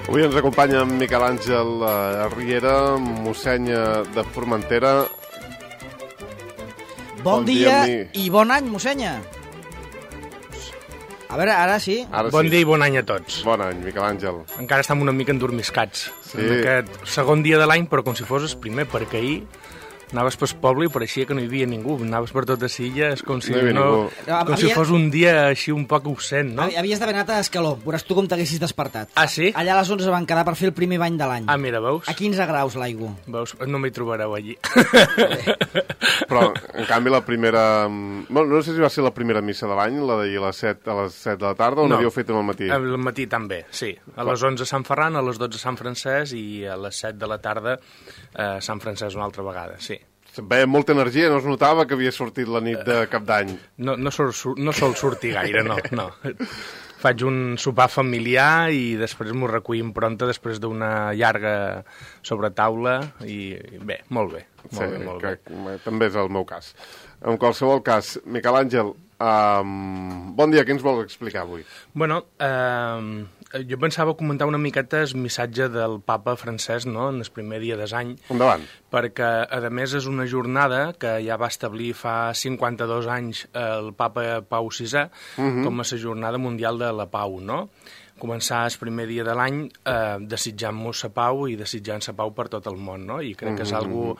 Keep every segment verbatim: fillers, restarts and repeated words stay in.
Avui ens acompanya en Miquel Àngel Riera, mossèn de Formentera. Bon, bon dia, dia i bon any, mossenya. A veure, ara sí. Ara bon sí. dia i bon any a tots. Bon any, Miquel Àngel. Encara estem una mica endormiscats. Sí. En aquest segon dia de l'any, però com si fos el primer, perquè ahir anaves pel poble i pareixia que no hi havia ningú. Anaves per tota Silla, és com si, no no, no, com havia... si fos un dia així un poc obscent, no? Havies d'haver anat a Escaló, veuràs tu com t'haguessis despertat. Ah, sí? Allà a les onze van quedar per fer el primer bany de l'any. Ah, mira, veus? A quinze graus l'aigua. Veus? No m'hi trobareu allí. Però, en canvi, la primera... Bueno, no sé si va ser la primera missa de l'any, la d'ahir a les set, a les set de la tarda, o no, n'havíeu fet al matí? Al matí també, sí. A les onze Sant Ferran, a les dotze Sant Francesc i a les set de la tarda eh, Sant Francesc una altra vegada, sí. Veia molta energia, no es notava que havia sortit la nit de cap d'any. No, no, sol, no sol sortir gaire, no, no. Faig un sopar familiar i després m'ho recollim pronta després d'una llarga sobretaula i bé, molt bé. Molt sí, bé, molt que, bé. També és el meu cas. En qualsevol cas, Miquel Àngel, um, bon dia, què ens vols explicar avui? Bueno, eh, jo pensava comentar una miqueta el missatge del papa Francesc, no?, en el primer dia de l'any. Endavant. Perquè, a més, és una jornada que ja va establir fa cinquanta-dos anys el papa Pau sisè uh -huh. com a la Jornada Mundial de la Pau, no? Començar el primer dia de l'any eh, desitjant-nos la pau i desitjant la pau per tot el món, no? I crec uh -huh. que és algo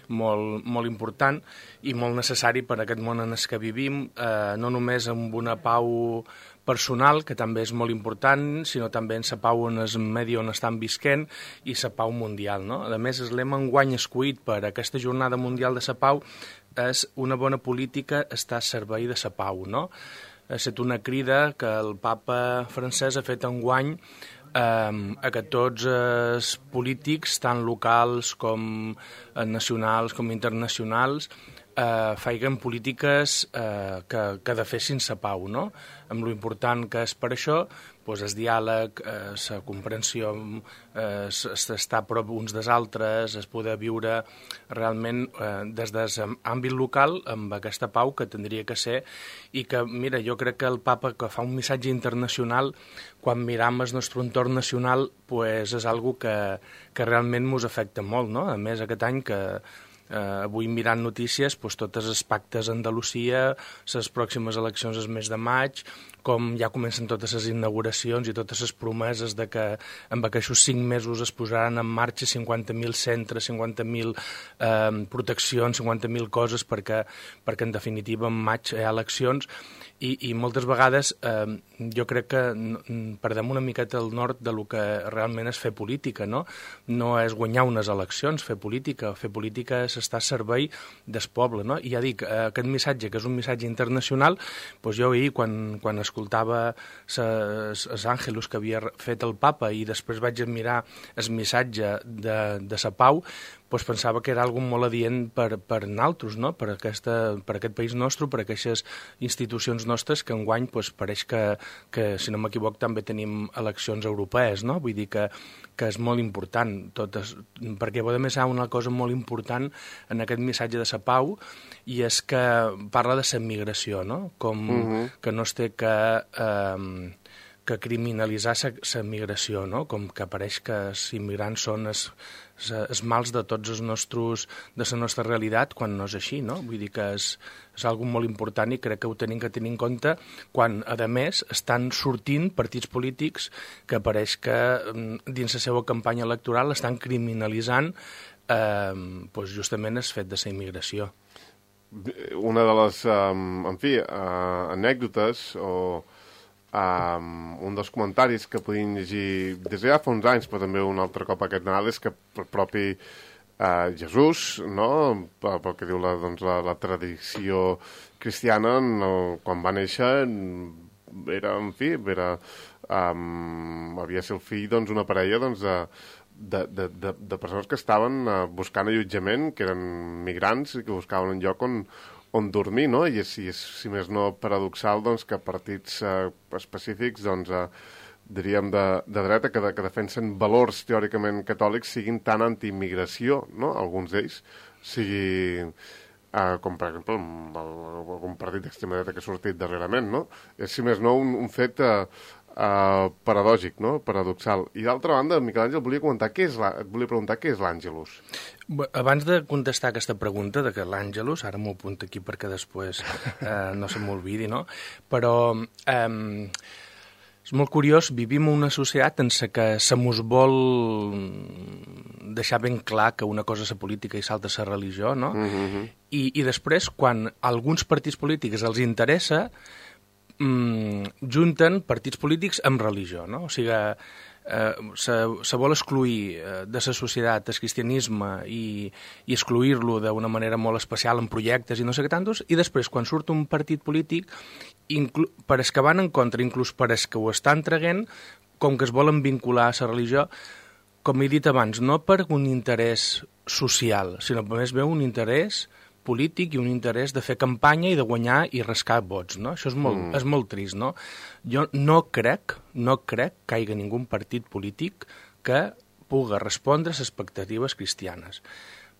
molt, molt important i molt necessari per a aquest món en el que vivim, eh, no només amb una pau personal, que també és molt important, sinó també en la pau en el medi on estan visquent i la pau mundial, no? A més, el lema enguany escollit per aquesta Jornada Mundial de la Pau és una bona política està al servei de la pau, no? Ha estat una crida que el papa Francesc ha fet enguany eh, a que tots els polítics, tant locals com nacionals com internacionals, eh, feien polítiques eh, que, que defessin la pau, no? Amb lo important que és per això, doncs el diàleg, eh, la comprensió, eh, estar a prop uns dels altres, es poder viure realment eh, des de l'àmbit local amb aquesta pau que tindria que ser i que, mira, jo crec que el papa que fa un missatge internacional, quan miram el nostre entorn nacional, pues és algo que, que realment ens afecta molt, no? A més, aquest any que Uh, avui mirant notícies, doncs, totes els pactes a Andalusia, les pròximes eleccions el mes de maig, com ja comencen totes les inauguracions i totes les promeses de que en aquests cinc mesos es posaran en marxa cinquanta mil centres, cinquanta mil eh, proteccions, cinquanta mil coses perquè, perquè en definitiva en maig hi ha eleccions i, i moltes vegades eh, jo crec que perdem una miqueta el nord de lo que realment és fer política, no? No és guanyar unes eleccions, fer política, fer política és estar al servei del poble, no? I ja dic, aquest missatge, que és un missatge internacional, doncs jo ahir, quan, quan escoltava els àngelus que havia fet el papa i després vaig mirar el missatge de, de la pau, doncs pensava que era algo molt adient per, per nosaltres, no? Per, aquesta, per aquest país nostre, per aquestes institucions nostres que enguany doncs, pareix que, que, si no m'equivoc, també tenim eleccions europees, no? Vull dir que, que és molt important, totes, perquè a més hi ha una cosa molt important en aquest missatge de la pau i és que parla de la migració, no? Com uh -huh. que no es té que... Eh, que criminalitzar la migració, no? Com que pareix que els immigrants són els, els mals de tots els nostres, de la nostra realitat, quan no és així, no? Vull dir que és, és algo molt important i crec que ho tenim que tenir en compte quan, a més, estan sortint partits polítics que pareix que dins la seva campanya electoral estan criminalitzant eh, doncs justament el fet de la immigració. Una de les, um, en fi, uh, anècdotes o Um, un dels comentaris que podien llegir des de ja fa uns anys, però també un altre cop aquest Nadal, és que el propi uh, Jesús, no? pel, pel que diu la, doncs, la, la tradició cristiana, no? Quan va néixer era, en fi, era, um, havia de ser el fill d'una doncs, parella doncs, de, de, de, de, de persones que estaven uh, buscant allotjament, que eren migrants i que buscaven un lloc on on dormir, no? I és, i és si més no, paradoxal doncs, que partits eh, específics, doncs, eh, diríem, de, de dreta, que, de, que defensen valors teòricament catòlics, siguin tan anti-immigració, no? Alguns d'ells, sigui, eh, com per exemple algun partit d'extrema dreta que ha sortit darrerament, no? És, si més no, un, un fet eh, uh, paradògic, no? Paradoxal. I d'altra banda, Miquel Àngel, volia comentar què és la... et volia preguntar què és l'Àngelus. Abans de contestar aquesta pregunta de que l'Àngelus, ara m'ho apunto aquí perquè després eh, no se m'olvidi, no? Però eh, és molt curiós, vivim en una societat en què se mos vol deixar ben clar que una cosa és la política i l'altra és la religió, no? Mm-hmm. I, I després, quan a alguns partits polítics els interessa, mm, junten partits polítics amb religió, no? O sigui, Eh, se, se vol excluir eh, de la societat el cristianisme i, i excluir-lo d'una manera molt especial en projectes i no sé què tantos, i després quan surt un partit polític inclu, per els que van en contra, inclús per els que ho estan traguent, com que es volen vincular a la religió, com he dit abans, no per un interès social, sinó per més bé un interès polític i un interès de fer campanya i de guanyar i rascar vots, no? Això és molt, mm. és molt trist, no? Jo no crec, no crec que hi hagi ningú partit polític que pugui respondre a les expectatives cristianes.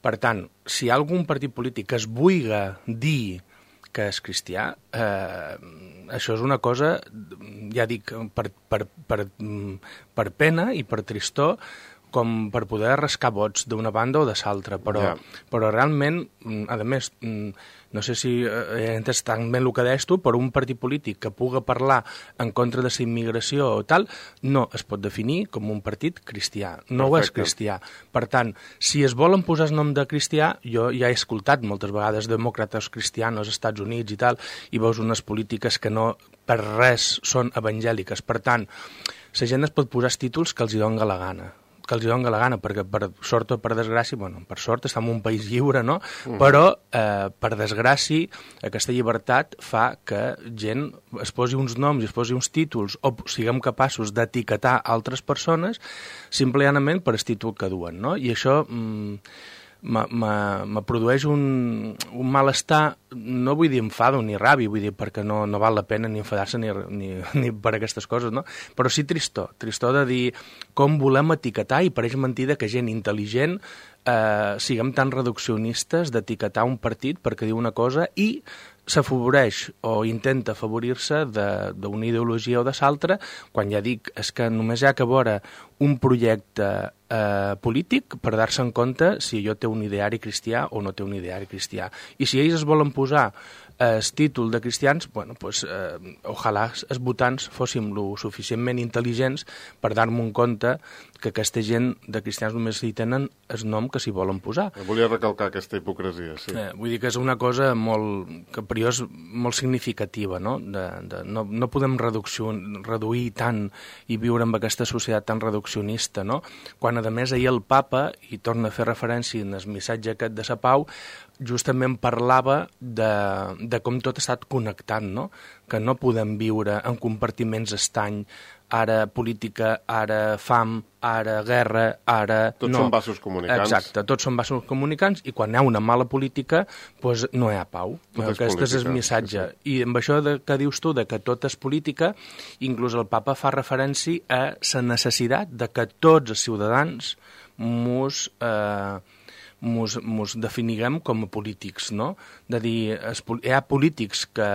Per tant, si hi ha algun partit polític que es vulgui dir que és cristià, eh, això és una cosa, ja dic, per, per, per, per pena i per tristor, com per poder rascar vots d'una banda o de l'altra, però, yeah. però realment, a més, no sé si he entès tan bé el que deies tu, però un partit polític que pugui parlar en contra de la immigració o tal, no es pot definir com un partit cristià, no ho és cristià. Per tant, si es volen posar el nom de cristià, jo ja he escoltat moltes vegades demòcrates cristianos als Estats Units i tal, i veus unes polítiques que no per res són evangèliques. Per tant, la gent es pot posar els títols que els hi doni la gana. que els doni la gana, perquè per sort o per desgràcia, bueno, per sort estem en un país lliure, no? Uh-huh. Però, eh, per desgràcia, aquesta llibertat fa que gent es posi uns noms i es posi uns títols o siguem capaços d'etiquetar altres persones simplement per el títol que duen, no? I això mm, me produeix un, un malestar, no vull dir enfado ni ràbia, vull dir perquè no, no val la pena ni enfadar-se ni, ni, ni per aquestes coses, no? Però sí tristor, tristor de dir com volem etiquetar, i pareix mentida que gent intel·ligent eh, siguem tan reduccionistes d'etiquetar un partit perquè diu una cosa i s'afavoreix o intenta afavorir-se d'una ideologia o de l'altra, quan ja dic, és que només hi ha que veure un projecte eh, polític per dar-se en compte si allò té un ideari cristià o no té un ideari cristià. I si ells es volen posar el títol de cristians, bueno, pues, eh, ojalà els votants fóssim lo suficientment intel·ligents per dar-me en compte que aquesta gent de cristians només hi tenen el nom que s'hi volen posar. Volia recalcar aquesta hipocresia, sí. Eh, vull dir que és una cosa molt, que per jo és molt significativa, no? De, de, no, no podem reduir tant i viure amb aquesta societat tan reduccionista, no? Quan, a més, ahir el papa, i torna a fer referència en el missatge aquest de la pau, justament parlava de, de com tot ha estat connectat, no? Que no podem viure en compartiments estany, ara política, ara fam, ara guerra, ara... Tots no. són vasos comunicants. Exacte, tots són vasos comunicants, i quan hi ha una mala política, doncs no hi ha pau. Tot és Aquest política, és el missatge. Sí, sí. I amb això de, que dius tu, de que tot és política, inclús el papa fa referència a la necessitat de que tots els ciutadans mos... Eh, Mos, mos definiguem com a polítics, no? De dir, es, hi ha polítics que,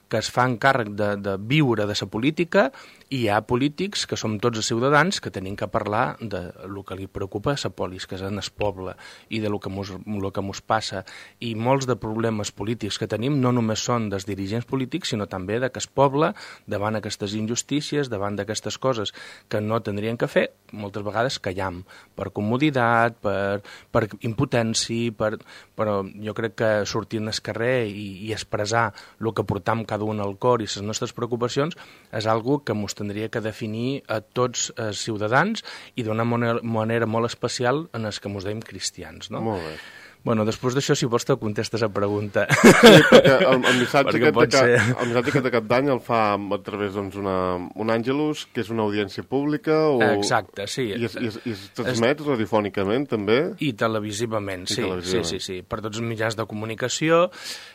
que es fan càrrec de, de viure de la política, i hi ha polítics que som tots els ciutadans que tenim que parlar de lo que li preocupa a la polis, que és en el poble, i de lo que mos, lo que mos passa. I molts de problemes polítics que tenim no només són dels dirigents polítics, sinó també de que el poble, davant aquestes injustícies, davant d'aquestes coses que no tindrien que fer, moltes vegades callam, per comoditat, per, per impotència, per, però jo crec que sortir al carrer i, i expressar el que portam cada un al cor i les nostres preocupacions és algo que mos tindria que definir a tots els ciutadans i d'una manera, manera molt especial en els que mos deim cristians, no? Molt bé. Bueno, després d'això, si vols, te contestes a pregunta. Sí, perquè el, el missatge perquè aquest de ser... cap, el missatge aquest de cap d'any el fa a través doncs, una, un àngelus, que és una audiència pública, o... Exacte, sí. I es, i es, i es transmet es... radiofònicament, també? I televisivament, I sí, televisivament. sí, sí, sí, per tots els mitjans de comunicació.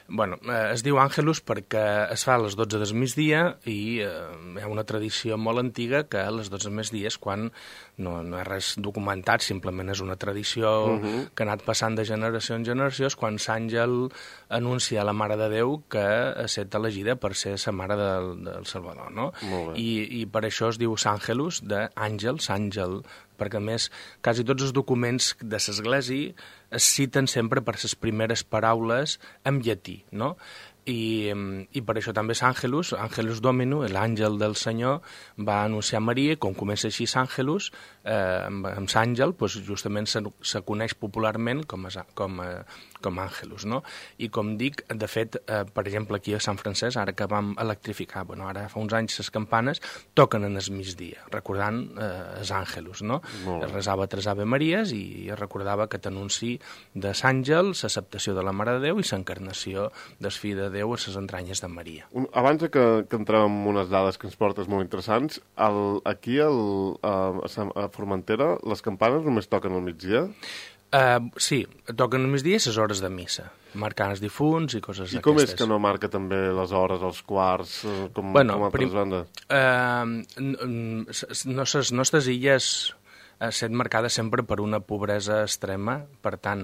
Bueno, eh, es diu Àngelus perquè es fa a les dotze del migdia i eh, hi ha una tradició molt antiga que a les dotze del migdia és quan no, no és res documentat, simplement és una tradició uh-huh. que ha anat passant de generació generació en generació, és quan l'àngel anuncia a la Mare de Déu que ha estat elegida per ser la Mare del, del Salvador, no? I, I per això es diu Sàngelus, d'àngels, àngel, perquè a més quasi tots els documents de l'Església es citen sempre per les primeres paraules en llatí, no? I, i per això també Sàngelus, Angelus Domino, l'àngel del Senyor, va anunciar a Maria, com comença així Sàngelus, eh, amb, amb l'àngel, doncs justament se, se coneix popularment com a, com a, com a Àngelus, no? I com dic, de fet, eh, per exemple, aquí a Sant Francesc, ara que vam electrificar, bueno, ara fa uns anys les campanes toquen en el migdia, recordant eh, els Àngelus, no? Es resava tres Ave Maries i es recordava que t'anunci de l'àngel, l'acceptació de la Mare de Déu i l'encarnació del Fill de Déu a les entranyes de Maria. Un, abans que, que entrem en unes dades que ens portes molt interessants, el, aquí el, a, a Formentera les campanes només toquen al migdia? Uh, sí, toquen al migdia les hores de missa, marcant els difunts i coses d'aquestes. I com és que no marca també les hores, els quarts, com, bueno, com altres bandes? Uh, no, les nostres illes ha estat marcada sempre per una pobresa extrema, per tant,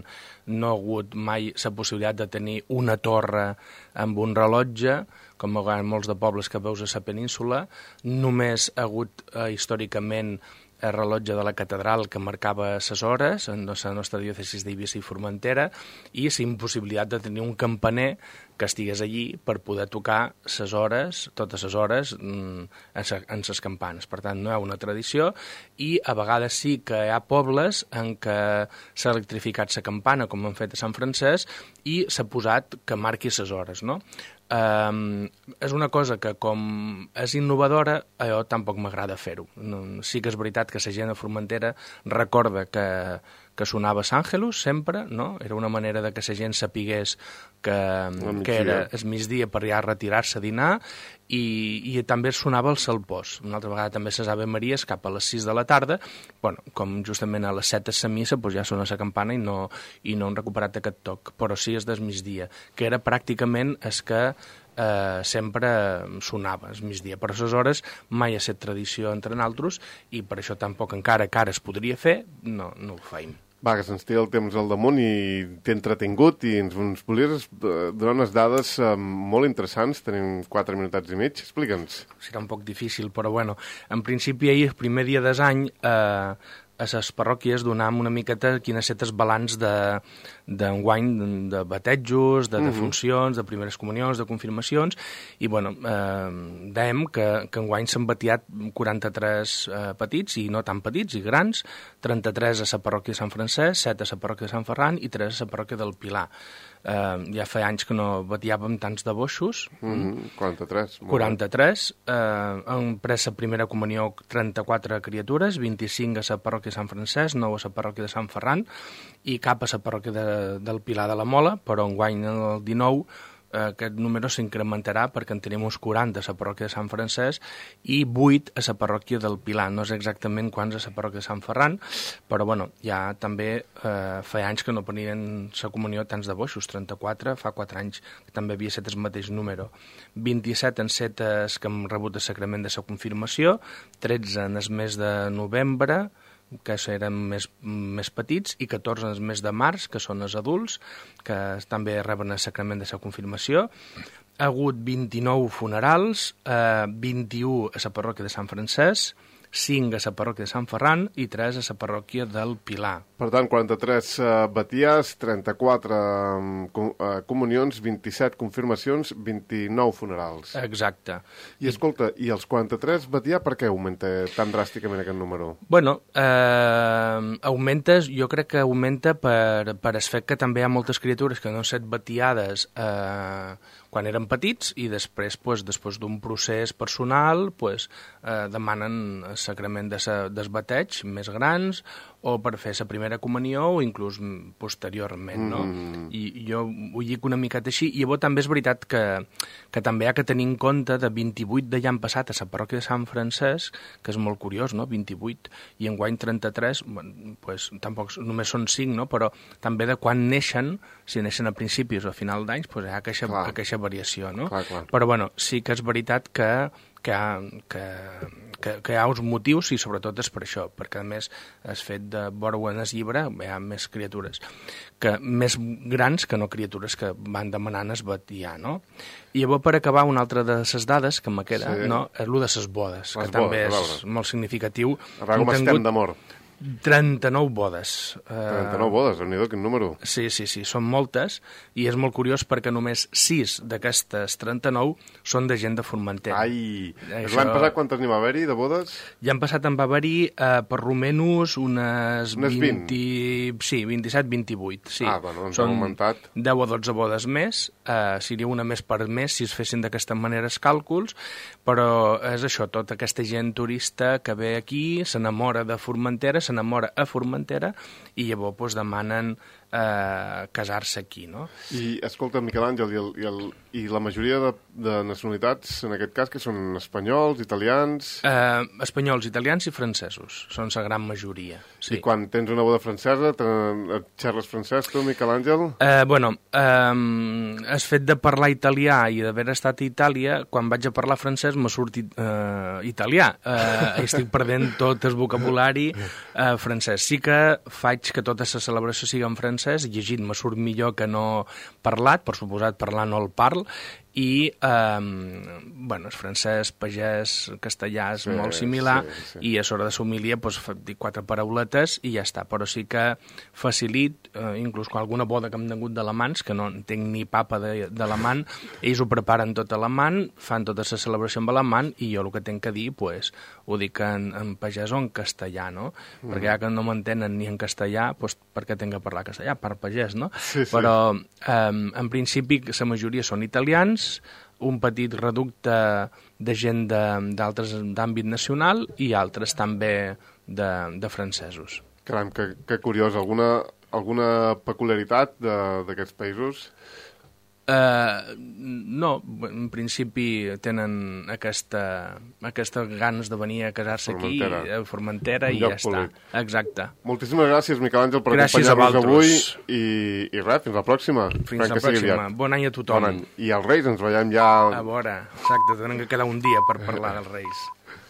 no ha hagut mai la possibilitat de tenir una torre amb un rellotge, com en molts de pobles que veus a la península, només ha hagut eh, històricament el rellotge de la catedral que marcava les hores en la nostra diòcesis d'Eivissa i Formentera i la impossibilitat de tenir un campaner que estigués allí per poder tocar les hores, totes les hores, en les campanes. Per tant, no hi ha una tradició i a vegades sí que hi ha pobles en què s'ha electrificat la campana, com han fet a Sant Francesc, i s'ha posat que marqui les hores, no? Um, és una cosa que com és innovadora, a jo tampoc m'agrada fer-ho. No, sí que és veritat que la gent a Formentera recorda que, que sonava Sàngelus sempre, no? Era una manera de que la gent sapigués que, que era el migdia per ja retirar-se a dinar i, i també sonava el salpós. Una altra vegada també les Ave Maries cap a les sis de la tarda, bueno, com justament a les set és la missa, doncs ja sona la campana i no, i no han recuperat aquest toc, però sí és del migdia, que era pràcticament el que eh, sempre sonava el migdia. Per les hores mai ha estat tradició entre nosaltres i per això tampoc encara que ara es podria fer, no, no ho feim. Va, que se'ns té el temps al damunt i t'he entretingut i ens, ens volies donar unes dades eh, molt interessants. Tenim quatre minutats i mig. Explica'ns. Serà un poc difícil, però bueno, en principi ahir, el primer dia des any, eh, a les parròquies donàvem una miqueta quin ha estat el balanç d'enguany de, de batejos, de defuncions, de primeres comunions, de confirmacions, i bueno, eh, dèiem que, que enguany s'han batiat quaranta-tres eh, petits, i no tan petits, i grans, trenta-tres a la parròquia de Sant Francesc, set a la parròquia de Sant Ferran i tres a la parròquia del Pilar. Eh, ja fa anys que no batiàvem tants de boixos. Mm-hmm, quaranta-tres. quaranta-tres. Eh, han pres la primera comunió trenta-quatre criatures, vint-i-cinc a la parròquia de Sant Francesc, nou a la parròquia de Sant Ferran i cap a la parròquia de, del Pilar de la Mola, però enguany el dinou eh, aquest número s'incrementarà perquè en tenim uns quaranta a la parròquia de Sant Francesc i vuit a la parròquia del Pilar. No sé exactament quants a la parròquia de Sant Ferran, però bueno, ja també eh, fa anys que no prenien la comunió tants de boixos, trenta-quatre, fa quatre anys que també havia estat el mateix número. vint-i-set en set que hem rebut el sacrament de la confirmació, tretze en el mes de novembre, que eren més, més petits, i catorze en el mes de març, que són els adults, que també reben el sacrament de la confirmació. Ha hagut vint-i-nou funerals, eh, vint-i-u a la parròquia de Sant Francesc, cinc a la parròquia de Sant Ferran i tres a la parròquia del Pilar. Per tant, quaranta-tres uh, batiars, trenta-quatre um, com, uh, comunions, vint-i-set confirmacions, vint-i-nou funerals. Exacte. I escolta, i els quaranta-tres batiar per què augmenta tan dràsticament aquest número? Bueno, eh, augmenta, jo crec que augmenta per, per el fet que també hi ha moltes criatures que no han estat batiades eh, quan eren petits i després, pues, després d'un procés personal, pues, eh, demanen el sacrament de sa, del bateig més grans o per fer la primera comunió o inclús posteriorment, no? Mm. I, i jo ho dic una miqueta així. I llavors també és veritat que, que també hi ha que tenir en compte de vint-i-vuit de l'any passat a la parròquia de Sant Francesc, que és molt curiós, no?, vint-i-vuit, i enguany trenta-tres, bueno, pues, tampoc només són cinc, no?, però també de quan neixen, si neixen a principis o a final d'anys, pues, hi ha aquesta, aquesta variació, no? Clar, clar. Però bueno, sí que és veritat que que hi ha, que, que, que hi ha uns motius i sobretot és per això, perquè a més és fet de vora en el llibre, hi ha més criatures, que més grans que no criatures que van demanant es batia, no? I llavors, per acabar, una altra de les dades que me queda, sí. no? És el de les bodes, les que bodes, també és molt significatiu. A veure com estem d'amor. trenta-nou bodes. trenta-nou bodes, déu-n'hi-do, quin número. Sí, sí, sí, són moltes, i és molt curiós perquè només sis d'aquestes trenta-nou són de gent de Formentera. Ai, Això... l'any passat quantes n'hi va haver-hi, de bodes? Ja han passat en va haver-hi, eh, per romenos, unes, unes vint. vint... Sí, vint-i-set vint-i-vuit. Sí. Ah, bueno, ens han augmentat. deu o dotze bodes més, eh, seria una més per mes si es fessin d'aquesta manera els càlculs, però és això, tota aquesta gent turista que ve aquí, s'enamora de Formentera, s'enamora a Formentera i llavors pues, demanen eh, casar-se aquí, no? I, escolta, Miquel Àngel, i, el, i, el, i la majoria de, de nacionalitats, en aquest cas, que són espanyols, italians... Eh, espanyols, italians i francesos, són la gran majoria. Sí. I quan tens una boda francesa, et xerres francès, tu, Miquel Àngel? Eh, bueno, eh, el fet de parlar italià i d'haver estat a Itàlia, quan vaig a parlar francès m'ha sortit eh, italià. Eh, estic perdent tot el vocabulari eh, francès. Sí que faig que tota la celebració sigui en francès, llegit me surt millor que no parlat, per suposat parlar no el parl, i, eh, bueno, el francès, pagès, castellà és sí, molt similar, sí, sí. I a l'hora de l'homilia doncs, dic quatre parauletes i ja està, però sí que facilit, eh, inclús quan alguna boda que hem tingut d'alamans, que no entenc ni papa d'alamant, ells ho preparen tot alamant, fan tota la celebració amb alamant, i jo el que tinc que dir, pues, ho dic en, en pagès o en castellà, no? Mm. Perquè ja que no m'entenen ni en castellà, doncs per què tinc que parlar castellà? Per pagès, no? Sí, sí. Però, eh, en principi, la majoria són italians, un petit reducte de gent d'altres d'àmbit nacional i altres també de, de francesos. Caram, que, que curiós. Alguna, alguna peculiaritat d'aquests països? Uh, no, en principi tenen aquesta, aquesta ganes de venir a casar-se aquí, a Formentera, i ja està. Exacte. Moltíssimes gràcies, Miquel Àngel, per acompanyar-nos avui, i, i res, fins la pròxima. Fins la pròxima. Bon any a tothom. Bon any. I els Reis, ens veiem ja... A veure, exacte, tenen que quedar un dia per parlar dels Reis.